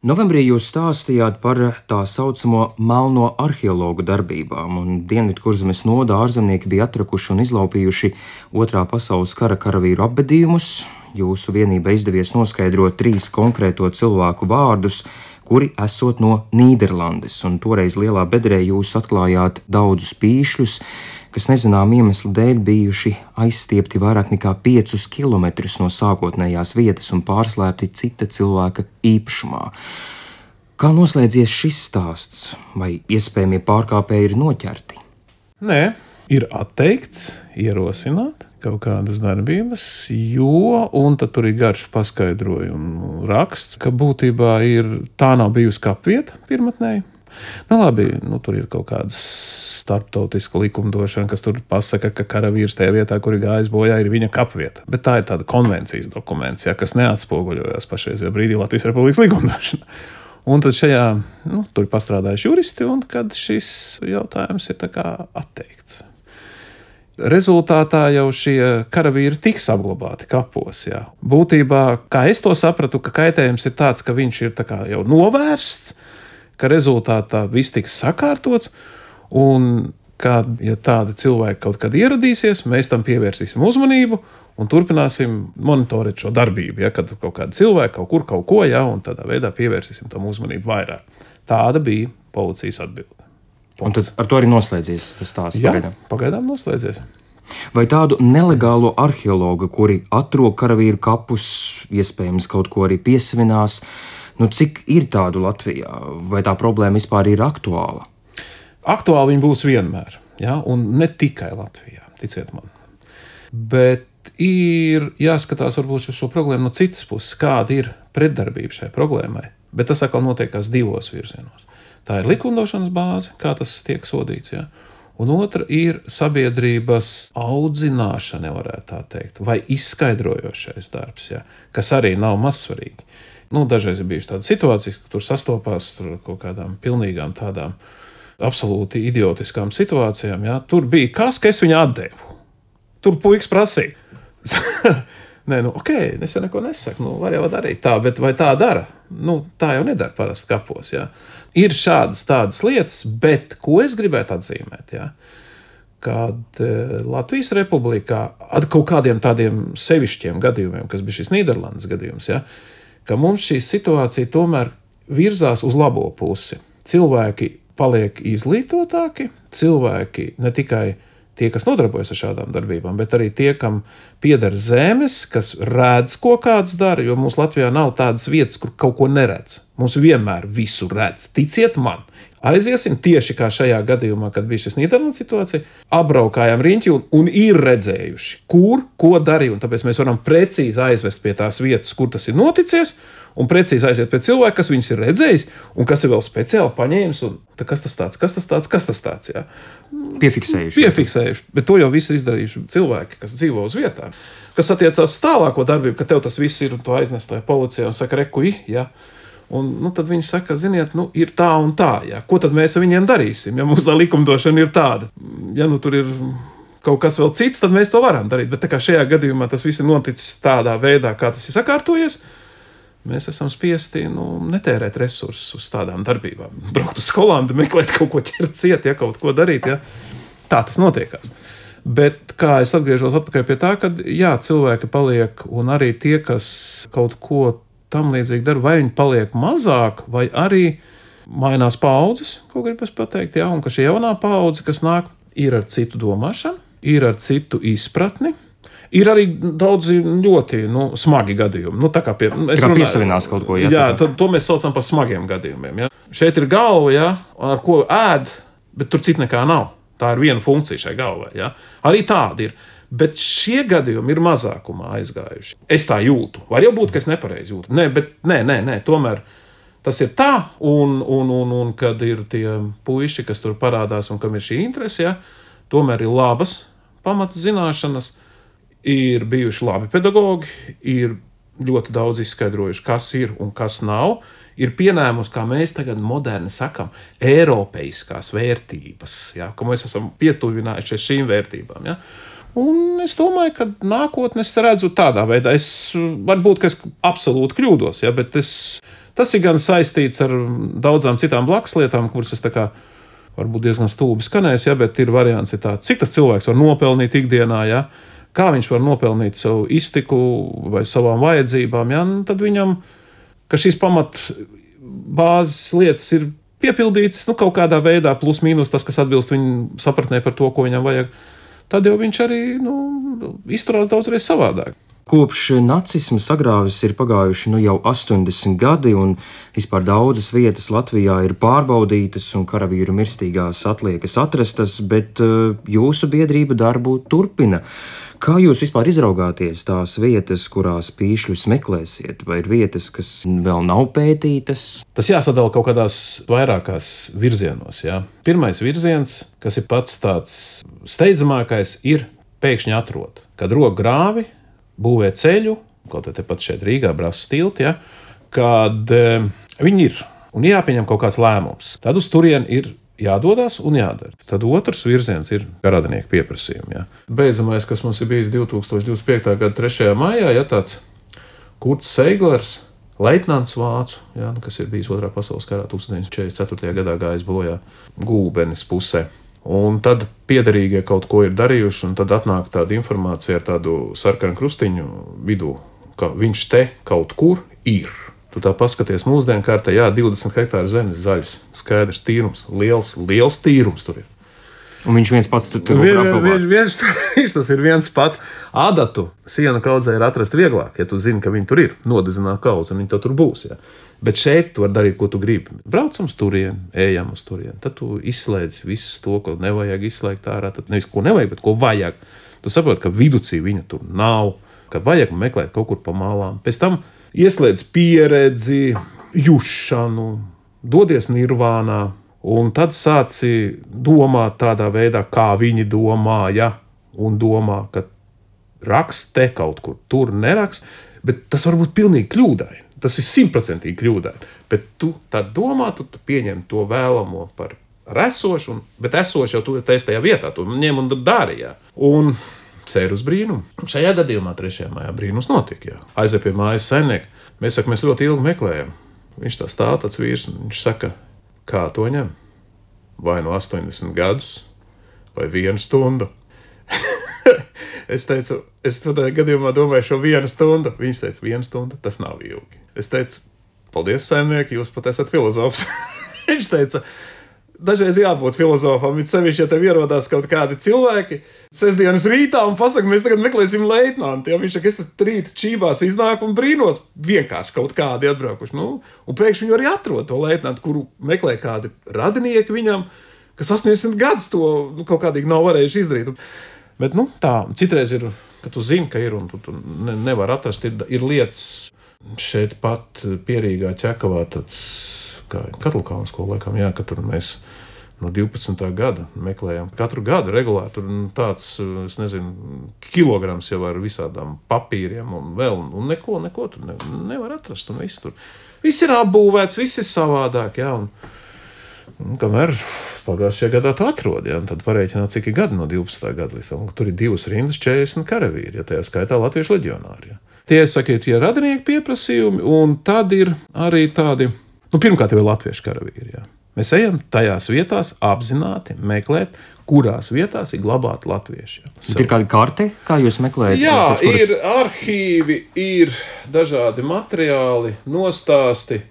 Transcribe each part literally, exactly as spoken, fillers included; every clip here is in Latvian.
Novembrī jūs stāstījāt par tā saucamo melno arheologu darbībām, un Dienvidkurzemes novada ārzemnieki bija atrakuši un izlaupījuši Otrā pasaules kara karavīru apbedījumus. Jūsu vienībai izdevies noskaidrot trīs konkrēto cilvēku vārdus, kuri esot no Nīderlandes, un toreiz Lielā Bedrē jūs atklājāt daudzus pīšļus, kas nezinām iemeslu dēļ bijuši aizstiepti vairāk nekā piecus kilometrus no sākotnējās vietas un pārslēpti cita cilvēka īpašumā. Kā noslēdzies šis stāsts? Vai iespējamie pārkāpēji ir noķerti? Nē, ir atteikts ierosināt kaut kādas darbības, jo, un tad tur ir garš paskaidrojumu raksts, ka būtībā ir, tā nav bijusi kapvieta pirmatnēji. Nu labi, nu tur ir kaut kādas starptautiska likumdošana, kas tur pasaka, ka karavīrs tajā vietā, kur ir gājis bojā, ir viņa kapvieta. Bet tā ir tāda konvencijas dokuments, ja, kas neatspoguļojas pašreizajā brīdī Latvijas Republikas likumdošana. Un tad šajā, nu, tur ir pastrādājuši juristi, un kad šis jautājums ir tā kā atteikts. Rezultātā jau šie karavīri tiks apglabāti kapos. Jā. Būtībā, kā es to sapratu, ka kaitējums ir tāds, ka viņš ir tā kā jau novērsts, ka rezultātā viss tiks sakārtots, un ka, ja tādi cilvēki kaut kad ieradīsies, mēs tam pievērsīsim uzmanību un turpināsim monitorēt šo darbību, ja, kad kaut kādi cilvēki kaut kur kaut ko, ja, un tādā veidā pievērsīsim tam uzmanību vairāk. Tāda bija policijas atbilde. Un tad ar to arī noslēdzies tas stāsts pagaidām? Jā, pagaidām noslēdzies. Vai tādu nelegālo arheologu, kuri atrok karavīru kapus, iespējams kaut ko arī piesavinās, nu cik ir tādu Latvijā? Vai tā problēma vispār ir aktuāla? Aktuāli viņi būs vienmēr, ja? Un ne tikai Latvijā, ticiet man. Bet ir jāskatās varbūt uz šo problēmu no citas puses, kāda ir pretdarbība šai problēmai. Bet tas atkal notiekās divos virzienos. Tā ir likumdošanas bāze, kā tas tiek sodīts, ja? Un otra ir sabiedrības audzināšana, varētu tā teikt, vai izskaidrojošais darbs, ja? Kas arī nav mazsvarīgi. Nu, dažreiz ir bijuši tādas situācijas, ka tur sastopās tur kaut kādām pilnīgām tādām absolūti idiotiskām situācijām. Ja? Tur bija kas, ka es viņu atdevu. Tur puikas prasīja. Nē, nu, ok, es jau neko nesaku, nu, var jau darīt tā, bet vai tā dara? Nu, tā jau nedara parasti kapos, ja? Ir šādas tādas lietas, bet ko es gribētu atzīmēt, ja? Kad Latvijas Republikā ar kaut kādiem tādiem sevišķiem gadījumiem, kas bija šis Nīderlandes gadījums, ja? Ka mums šī situācija tomēr virzās uz labo pusi. Cilvēki paliek izglītotāki, cilvēki ne tikai tie, kas nodarbojas ar šādām darbībām, bet arī tie, kam pieder zemes, kas redz, ko kāds dara, jo mums Latvijā nav tādas vietas, kur kaut ko neredz. Mums vienmēr visu redz. Ticiet man! Aiziesim tieši kā šajā gadījumā, kad bija šis Nīderlandes situācija, apbraukājām riņķi un, un ir redzējuši, kur, ko darīja, un tāpēc mēs varam precīzi aizvest pie tās vietas, kur tas ir noticies, un precīzi aiziet pie cilvēka, kas viņus ir redzējis, un kas ir vēl speciāli paņēmis, un tā, kas tas tāds, kas tas tāds, kas tas tāds, jā. Piefiksējuši. Piefiksējuši, bet to jau viss ir izdarījuši cilvēki, kas dzīvo uz vietām. Kas attiecās tālāko darbību, ka tev tas viss ir, un to aiznes tajā policijā un saka, reku, jā. Un nu, tad viņi saka, ziniet, nu, ir tā un tā, jā. Ko tad mēs ar viņiem darīsim, ja mums tā likumdošana ir tāda? Ja nu tur ir kaut kas vēl cits, tad mēs to varam darīt, bet tā kā šajā gadījumā tas viss ir noticis tādā veidā, kā tas ir sakārtojies, mēs esam spiesti, nu, netērēt resursus uz tādām darbībām. Braukt uz skolām, meklēt kaut ko ķert ciet, ja kaut ko darīt, ja. Tā tas notiekās. Bet kā es atgriežos atpakaļ pie tā, kad jā, cilvēki paliek, un arī tie, kas kaut ko tam līdzīgi dara, vai viņi paliek mazāk, vai arī mainās paudzes, ko gribas pateikt, jā, un ka šī jaunā paudze, kas nāk, ir ar citu domāšanu, ir ar citu izpratni, ir arī daudzi ļoti, nu, smagi gadījumi. Nu, tā kā pie, es runāju, piesavinās kaut ko, jā. Jā, tad to mēs saucam par smagiem gadījumiem, jā. Šeit ir galva, jā, ar ko ēd, bet tur cit nekā nav. Tā ir viena funkcija šai galvai, jā. Arī tāda ir. Bet šie gadījumi ir mazākumā aizgājuši. Es tā jūtu. Var jau būt, ka es nepareizi jūtu. Nē, bet nē, nē, nē, tomēr tas ir tā, un, un, un, un kad ir tie puiši, kas tur parādās un kam ir šī interese, ja, tomēr ir labas pamata zināšanas, ir bijuši labi pedagogi, ir ļoti daudz izskaidrojuši, kas ir un kas nav, ir pienēmus, kā mēs tagad moderni sakam, eiropeiskās vērtības, ja, ka mēs esam pietuvinājušies šīm vērtībām, ja. Un es domāju, ka nākotnē es redzu tādā veidā. Es varbūt, ka es absolūti kļūdos, ja, bet es, tas ir gan saistīts ar daudzām citām blakuslietām, kuras es tā kā varbūt diezgan stulbi skanēs, ja, bet ir variants ir tāds, cik tas cilvēks var nopelnīt ikdienā, ja, kā viņš var nopelnīt savu iztiku vai savām vajadzībām, ja, nu, tad viņam, ka šīs pamat bāzes lietas ir piepildītas, nu, kaut kādā veidā plus mīnus tas, kas atbilst viņa sapratnē par to, ko viņam vajag, tad jau viņš arī, nu, izturās daudzreiz savādāk. Kopš nacisma sagrāvis ir pagājuši nu jau astoņdesmit gadi, un vispār daudzas vietas Latvijā ir pārbaudītas un karavīru mirstīgās atliekas atrastas, bet uh, jūsu biedrība darbu turpina. Kā jūs vispār izraugāties tās vietas, kurās pīšļus meklēsiet, vai ir vietas, kas vēl nav pētītas? Tas jāsadala kaut kādās vairākās virzienos. Ja? Pirmais virziens, kas ir pats tāds steidzamākais, ir pēkšņi atrot. Kad rok grāvi, būvē ceļu, kaut kā tepat šeit Rīgā brāzas tilti, ja, kad e, viņi ir un jāpieņem kaut kāds lēmums. Tad uz turieni ir jādodas un jādara. Tad otrs virziens ir radinieku pieprasījumi. Ja. Beidzamais, kas mums ir bijis divtūkstoš divdesmit piektajā gada trešajā maijā, ja tāds Kurts Seiglers, leitnants vācu, ja, kas ir bijis otrā pasaules karā tūkstoš deviņsimt četrdesmit ceturtajā gadā gājis bojā Gulbenes pusē. Un tad piederīgie kaut ko ir darījuši, un tad atnāk tāda informācija ar tādu sarkanu krustiņu vidū, ka viņš te kaut kur ir. Tu tā paskaties mūsdienu kārtā, jā, divdesmit hektāru zemes zaļas, skaidrs tīrums, liels, liels tīrums tur ir. Un viņš viens pats tur tur Vien, vien, vien, viņš tas ir viens pats. Adatu sienu kaudzē ir atrast vieglāk, ja tu zini, ka viņi tur ir, nodezināt kaudzi, un viņi to tur būs, jā. Bet šeit tu vari darīt, ko tu gribi. Braucam uz turieni, ejam uz turieni. Tad tu izslēdz visu to, ko nevajag izslēgt ārā. Tad nevis ko nevajag, bet ko vajag. Tu saproti, ka viducī viņa tur nav, ka vajag meklēt kaut kur pa malām. Pēc tam ieslēdz pieredzi, jušanu, dodies nirvānā, un tad sāci domāt tādā veidā, kā viņi domāja, un domā, ka rakst te kaut kur, tur nerakst, bet tas var būt pilnīgi kļūdaini. Tas ir simtprocentīgi kļūdaini, bet tu tā domā, tu, tu pieņem to vēlamo par esošu, un, bet esošu jau tu esi tajā vietā, tu ņem un dari, jā. Un cer uz brīnumu. Šajā gadījumā trešajā mājā brīnums notika, jā. Aiziet pie mājas saimnieka, mēs saka, mēs ļoti ilgi meklējam. Viņš tā stāv tāds vīrs, un viņš saka, kā to ņem? Vai no astoņdesmit gadus, vai vienu stundu? Es teicu, es tādā gadījumā domāju šo vienu stundu. Viņš teica, viena stunda, tas nav ilgi. Es teicu, paldies, saimnieki, jūs pat esat filozofs. Viņš teica, dažreiz jābūt filozofam, bet sevišķi, ja tev ierodās kaut kādi cilvēki sestdienas rītā un pasaka, mēs tagad meklēsim leitnantu. Ja viņš saka, es tad rīt čībās iznāku un brīnos vienkārši kaut kādi atbraukuši. Nu, un pēkšņi viņu arī atrod to leitnantu, kuru meklē kādi radinieki viņam, kas astoņdesmit gadus to nu, kaut kādīgi nav varējuši izdarīt. Bet, nu, tā, citreiz ir, ka tu zini, ka ir, un tu, tu ne, nevar atrast, ir, ir lietas šeit pat Pierīgā Ķekavā, tāds, kā Katlukāns, ko laikam, jā, ka tur mēs no divpadsmitā gada meklējam. Katru gadu regulāri tur tāds, es nezinu, kilograms jau ar visādām papīriem un vēl, un neko, neko tur ne, nevar atrast, un viss tur. Viss ir apbūvēts, viss ir savādāk, jā, un, un kamēr pagājušajā gadā tu atrod, ja, un tad parēķināt, cik ir gadi no divpadsmitā gada līdz tam. Tur ir divas rindas, četrdesmit karavīri, ja tajā skaitā latviešu leģionāri. Ja. Tie, sakiet, ir radinieku pieprasījumi, un tad ir arī tādi, nu, pirmkārt jau ir latviešu karavīri, ja. Mēs ejam tajās vietās apzināti meklēt, kurās vietās ir glabāti latvieši. Ja. Ir kāda karte, kā jūs meklējat? Jā, tas, kuras... ir arhīvi, ir dažādi materiāli, nostāsti.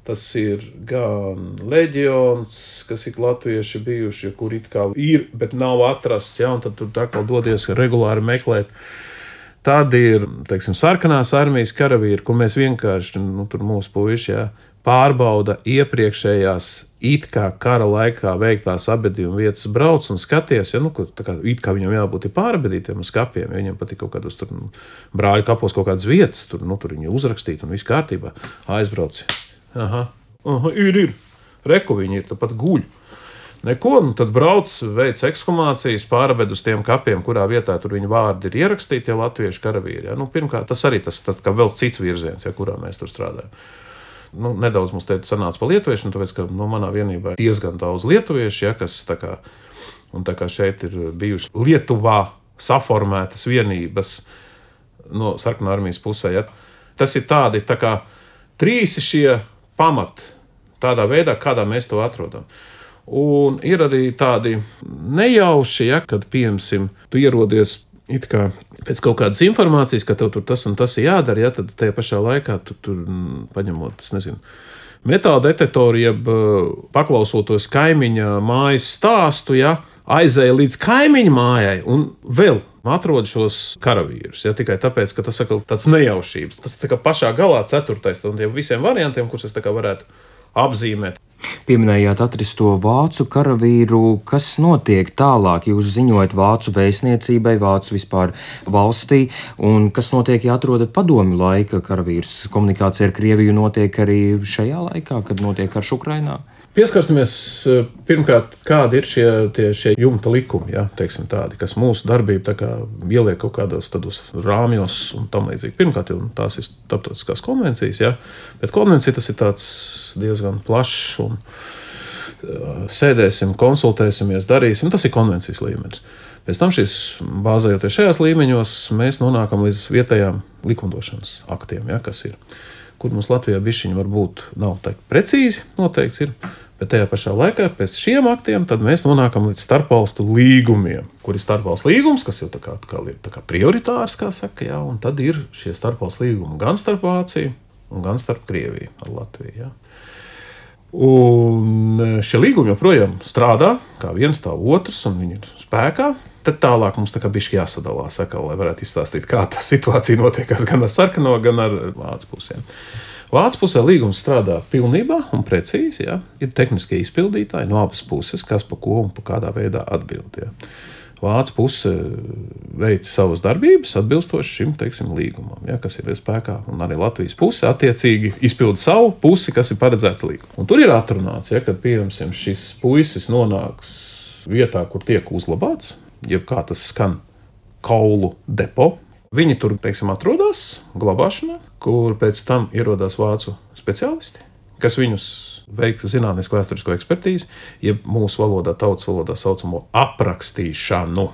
Tas ir gan leģions, kas ir latvieši bijuši, kur it kā ir, bet nav atrasts, ja, un tad tur tā kā dodies regulāri meklēt. Tad ir, teiksim, sarkanās armijas karavīri, kur mēs vienkārši, nu, tur mūsu puiši, ja, pārbauda iepriekšējās it kā kara laikā veiktās abedījuma vietas, brauc un skaties, ja, nu, tā kā it kā viņam jābūt pārabedītiem uz kapiem, ja viņam patīk kaut kādos tur nu, brāļu kapos kaut kādas vietas, tur, nu, tur viņi uzrakstīt un viss kārtībā, aizbrauc. Aha, aha, ir, ir. Reku viņi ir, tāpat guļ. Neko, nu tad brauc, veic ekshumācijas, pārabed uz tiem kapiem, kurā vietā tur viņa vārdi ir ierakstīti, tie latviešu karavīri. Ja. Nu, pirmkārt, tas arī tas kā vēl cits virziens, ja, kurā mēs tur strādājam. Nu, nedaudz mums te sanāca pa lietuviešanu, tāpēc, ka no manā vienībā ir diezgan daudz lietuviešu, ja, kas tā kā, un tā kā šeit ir bijuši Lietuvā saformētas vienības no sarkanā armijas pusē. Ja? Tas ir tādi tā kā trīs šie pamati, tādā veidā, kādā mēs to atrodam. Un ir arī tādi nejauši, ja, kad, piemēram, tu ierodies it kā pēc kaut kādas informācijas, ka tev tur tas un tas ir jādara, ja, tad tajā pašā laikā tu tur paņemot, es nezinu, metāla detektoru, jeb paklausoties kaimiņa mājas stāstu, ja, aizēja līdz kaimiņa mājai un vēl atrod šos karavīrus. Ja, tikai tāpēc, ka tas ir tāds nejaušības. Tas ir pašā galā ceturtais no tiem visiem variantiem, kurus es varētu apzīmēt. Pieminējāt atristo vācu karavīru. Kas notiek tālāk? Jūs ziņojat vācu vēstniecībai, vācu vispār valstī, un kas notiek, ja atrodat padomju laika karavīrus? Komunikācija ar Krieviju notiek arī šajā laikā, kad notiek karš Ukrainā? Pieskarsimies pirmkārt, kādi ir šie, tie, šie jumta likumi, ja, teiksim tādi, kas mūsu darbību tā kā ieliek kaut kādos tādos rāmjos un tam līdzīgi. Pirmkārt, tās ir starptautiskās konvencijas, ja, bet konvencija tas ir tāds diezgan plašs un sēdēsim, konsultēsimies, darīsim, tas ir konvencijas līmenis. Pēc tam šis, bāzējoties šajās līmeņos, mēs nonākam līdz vietējām likumdošanas aktiem, ja, kas ir, kur mums Latvijā bišķiņi varbūt nav tā precīzi noteikts ir, bet tajā pašā laikā pēc šiem aktiem tad mēs nonākam līdz starpvalstu līgumiem, kur ir starpvalstu līgums, kas jau tā kā, tā kā ir tā kā prioritārs, kā saka, jā, un tad ir šie starpvalstu līgumi gan starp Vāciju un gan starp Krieviju ar Latviju, jā. Un šie līgumi joprojām strādā, kā viens tā otrs, un viņi ir spēkā. Tad tālāk mums tā kā bišķi jāsadalās, saka, lai varētu izstāstīt, kā tā situācija notiekās gan ar sarkano, gan ar vācu pusēm. Vācu pusē līgums strādā pilnībā un precīzi, ja? Ir tehniskie izpildītāji no abas puses, kas pa ko un pa kādā veidā atbild. Ja? Vācu puse veic savas darbības atbilstoši šim, teiksim, līgumam, ja? Kas ir spēkā, un arī Latvijas puse attiecīgi izpilda savu pusi, kas ir paredzēts līgumam. Un tur ir atrunāts, ja, kad, piemēram, šis puisis nonāks vietā, kur tiek uzlabāts, jeb kā tas skan, kaulu depo. Viņi tur, teiksim, atrodas glabāšanā, kur pēc tam ierodās vācu speciālisti, kas viņus veiks zinātnisko vēsturisko ekspertīzi, jeb mūsu valodā, tautas valodā saucamo aprakstīšanu.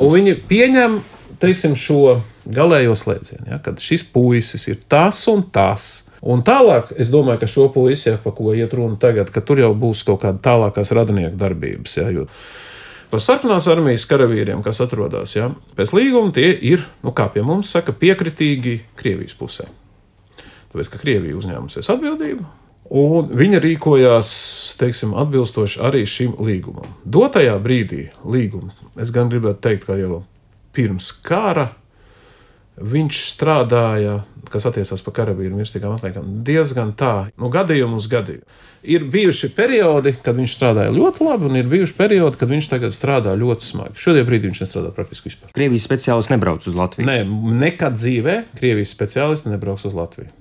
Un viņi pieņem, teiksim, šo galējo slēdzienu, ja, kad šis puisis ir tas un tas. Un tālāk, es domāju, ka šo puisi, ja, pa ko iet runa tagad, ka tur jau būs kaut kāda tālākās radinieku darbības, ja, jo par sarkanās armijas karavīriem, kas atrodas, ja, pēc līguma, tie ir, nu kā pie mums saka, piekritīgi Krievijas pusē. Tāpēc, ka Krievija uzņēmusies atbildību, un viņa rīkojās, teiksim, atbilstoši arī šim līgumam. Dotajā brīdī līguma, es gan gribētu teikt, ka jau pirms kara viņš strādāja, kas attiecās par karavīru mirstīgām atliekām, diezgan tā, nu gadījumu uz gadījumu. Ir bijuši periodi, kad viņš strādāja ļoti labi, un ir bijuši periodi, kad viņš tagad strādā ļoti smagi. Šodien brīdī viņš nestrādā praktiski vispār. Krievijas speciālisti nebrauc uz Latviju? Nē, nekad dzīvē Krievijas speciālisti nebrauc uz Latviju.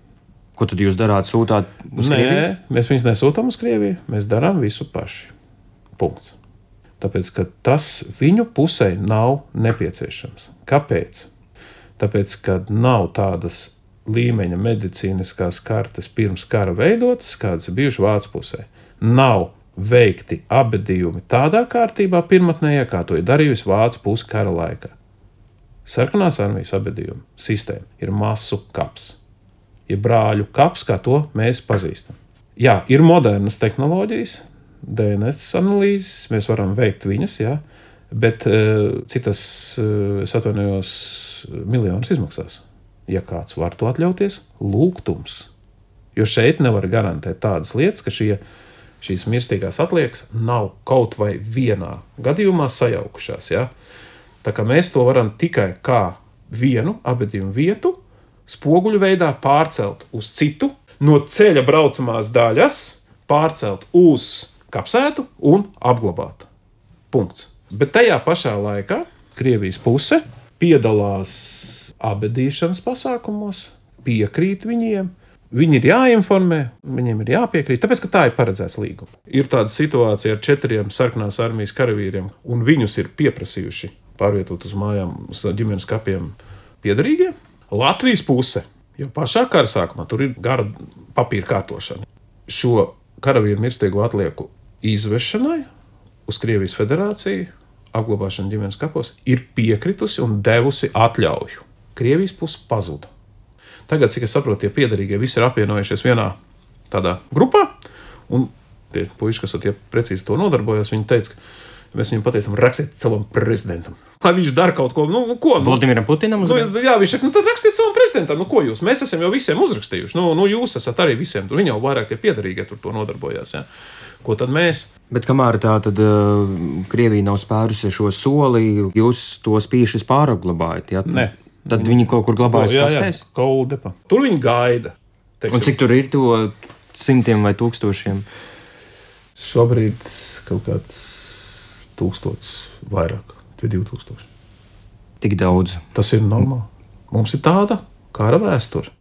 Ko tad jūs darāt, sūtāt uz Nē, Krieviju? Nē, mēs viņus nesūtām uz Krieviju, mēs darām visu paši. Punkts. Tāpēc, ka tas viņu pusē nav nepieciešams. Kāpēc? Tāpēc, ka nav tādas līmeņa medicīniskās kartes pirms kara veidotas, kādas ir bijušas Vācu pusē. Nav veikti abedījumi tādā kārtībā pirmotnējā, kā to ir darījusi Vācu puse kara laikā. Sarkanās armijas abedījuma sistēma ir masu kaps. Ir brāļu kaps, kā to mēs pazīstam. Jā, ir modernas tehnoloģijas, D N S analīzes, mēs varam veikt viņas, jā, bet cik tas, es atvainojos, miljonus izmaksās. Ja kāds var to atļauties, lūgtums. Jo šeit nevar garantēt tādas lietas, ka šie, šīs mirstīgās atliekas nav kaut vai vienā gadījumā sajaukušās. Ja? Tā kā mēs to varam tikai kā vienu abedījumu vietu spoguļu veidā pārcelt uz citu, no ceļa braucamās daļas pārcelt uz kapsētu un apglabāt. Punkts. Bet tajā pašā laikā Krievijas puse piedalās abedīšanas pasākumos, piekrīt viņiem, viņi ir jāinformē, viņiem ir jāpiekrīt, tāpēc, ka tā ir paredzēts līguma. Ir tāda situācija ar četriem sarkanās armijas karavīriem, un viņus ir pieprasījuši pārvietot uz mājām, uz ģimenes kapiem piederīgie. Latvijas puse, jo pašā kara sākumā tur ir gara papīra kārtošana. Šo karavīru mirstīgo atlieku izvešanai uz Krievijas federāciju apglabāšanu ģimenes kapos, ir piekritusi un devusi atļauju. Krievijas puse pazuda. Tagad, cik es saprotu, tie piederīgie visi ir apvienojušies vienā tādā grupā, un tie puiši, kas tie precīzi to nodarbojas, viņi teica, ka mēs viņam pateicam, rakstiet savam prezidentam. Lai viņš dara kaut ko, nu, ko? Nu, Vladimiram Putinam nu, jā, viņš saka, nu tad rakstiet savam prezidentam, nu ko jūs? Mēs esam jau visiem uzrakstījuši, nu, nu jūs esat arī visiem, tur viņi jau vairāk tie piederīgie tur to nodarbojās, jā. Ko tad mēs? Bet kamēr tā tad uh, Krievija nav spērusi šo soli, jūs tos pīšus pārapglabājat, jā? Nē. Tad viņi kaut kur glabājas jā, kastēs? Jā, kaudepa. Tur viņi gaida. Teiksim. Un cik tur ir to simtiem vai tūkstošiem? Šobrīd kaut kāds tūkstots vairāk, vai divi tūkstoši. Tik daudz. Tas ir normāli. Mums ir tāda kara vēsture.